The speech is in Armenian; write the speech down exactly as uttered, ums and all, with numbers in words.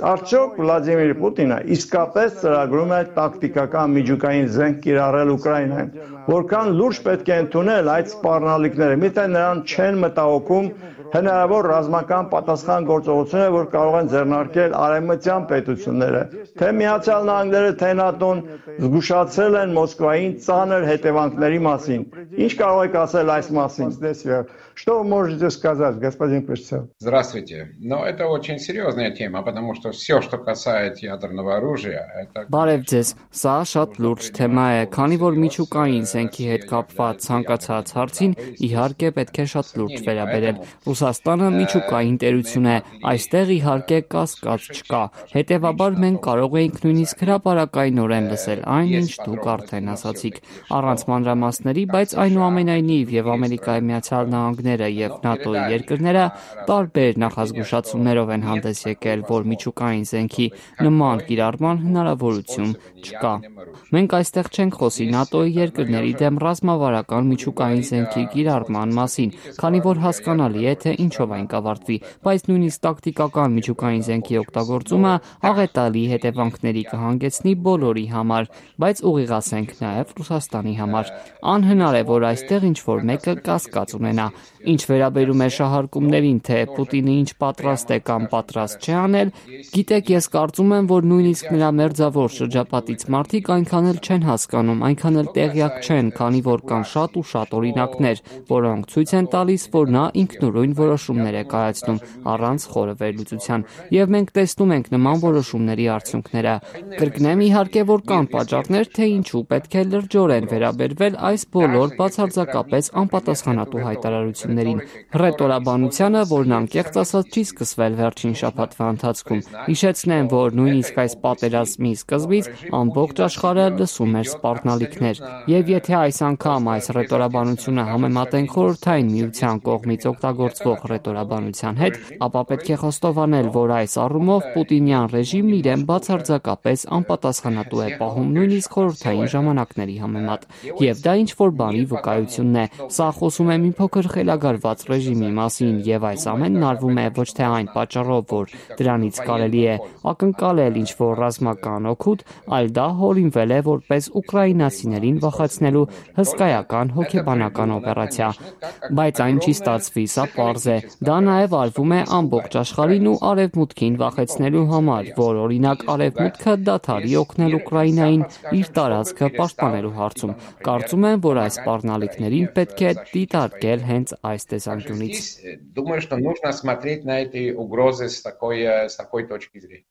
Արդյոք Վլադիմիր Պուտինը իսկապես ծրագրում է տակտիկական միջուկային զենք կիրառել Ուկրաինայում, որքան լուրջ պետք է ընդունել այդ սպառնալիքները, միթե նրան չեն մտահոգում հնարավոր ռազմական պատասխան գործողությունները, որ կարող են ձեռնարկել արևմտյան պետությունները, թե Միացյալ Նահանգները, թե ՆԱՏՕ-ն զգուշացրել են Մոսկվային ծանր հետևանքների մասին։ Ինչ կարող եք ասել այս մասին? Что вы можете сказать, господин Песцев? Здравствуйте. Ну, это очень серьезная тема, потому что все, что касается ядерного оружия, это... Բարև ձեզ, սա շատ լուրջ թեմա է, քանի որ միջուկային զենքի հետ կապված ցանկացած հարցին իհարկե պետք է շատ լուրջ վերաբերել։ Ռուսաստանը միջուկային տերություն է, այստեղ իհարկե կասկած չկա։ Հետևաբար մենք կարող էինք նույնիսկ հրապարակայնորեն լսել այն, ինչ դուք արդեն ասացիք, առանց մանրամասների, բայց այնուամենայնիվ եւ Ամերիկայի Միացյալ Նահանգները եւ ՆԱՏՕ-ի երկրները տարբեր նախազգուշացումներով են հանդես եկել, որ միջուկային զենքի նման կիրառման հնարավորություն չկա։ Մենք այստեղ չենք խոսի ՆԱՏՕ-ի երկրների դեմ ռազմավարական միջուկային զենքի կիրառման մասին, քանի որ հասկանալի է, թե ինչով այն կավարտվի, բայց նույնիսկ տակտիկական միջուկային զենքի օգտագործումը աղետալի հետևանքների կհանգեցնի բոլորի համար, բայց ուղիղացենք նաև Ռուսաստանի համար։ Անհնար է, որ այստեղ ինչ-որ մեկը կասկած ունենա։ Ինչ վերաբերում է շահարկումներին, թե Պուտինը ինչ պատրաստ է կամ պատրաստ չէ անել, գիտեք, ես կարծում եմ, որ նույնիսկ նրա մերձավոր շրջապատից մարդիկ այնքան էլ չեն հասկանում, այնքան էլ տեղյակ չեն, քանի որ կան շատ ու շատ օրինակներ, որոնք ցույց են տալիս, որ նա ինքնուրույն որոշումներ է կայացնում առանց խորը վերլուծության, եւ մենք տեսնում ենք նման որոշումների արդյունքները։ Կրկնեմ, իհարկե, որ կան պատճառներ, թե ինչու պետք է լրջորեն վերաբերվել այս բոլոր բացարձակապես անպատասխանատու հայտարարություններին։ Հռետորաբանությանը, որն անկեղծ ասած չի սկսվել վերջին շաբաթվա ընթացքում։ Հիշեցնեմ, որ նույնիսկ այս պատերազմի սկզբից ամբողջ աշխարհը լսում էր սպառնալիքներ, եւ եթե այս անգամ այս հռետորաբանությունը համեմատենք Խորհրդային Միության կողմից օգտագործվող հռետորաբանության հետ, ապա պետք է խոստովանել, որ այս առումով Պուտինյան ռեժիմն իրեն բացարձակապես անպատասխանատու է պահում նույնիսկ խորհրդային ժամանակների համեմատ, եւ դա ինչ-որ բանի վկայությունն է։ Սա խոսում է մի փոքր խելագարված ռեժիմի մասին, եւ այս ամենն արվում է ոչ թե այն պատճառով, որ դրանից կարելի է ակնկալել ինչ-որ ռազմական օգուտ, այլ դա հորինվել է որպես ուկրաինացիներին վախեցնելու հսկայական հոգեբանական օպերացիա։ Բայց այն չի ստացվի, սա պարզ է։ Դա նաև արվում է ամբողջ աշխարհին ու արևմուտքին վախեցնելու համար, որ օրինակ արևմուտքը դադարի օգնել Ուկրաինային իր տարածքը պաշտպանելու հարցում։ Կարծում եմ, որ այս սպառնալիքներին պետք է դիտարկել հենց այս տեսանկյունից։ Думаю, что нужно смотреть на эти угрозы с такой, с такой точки зрения.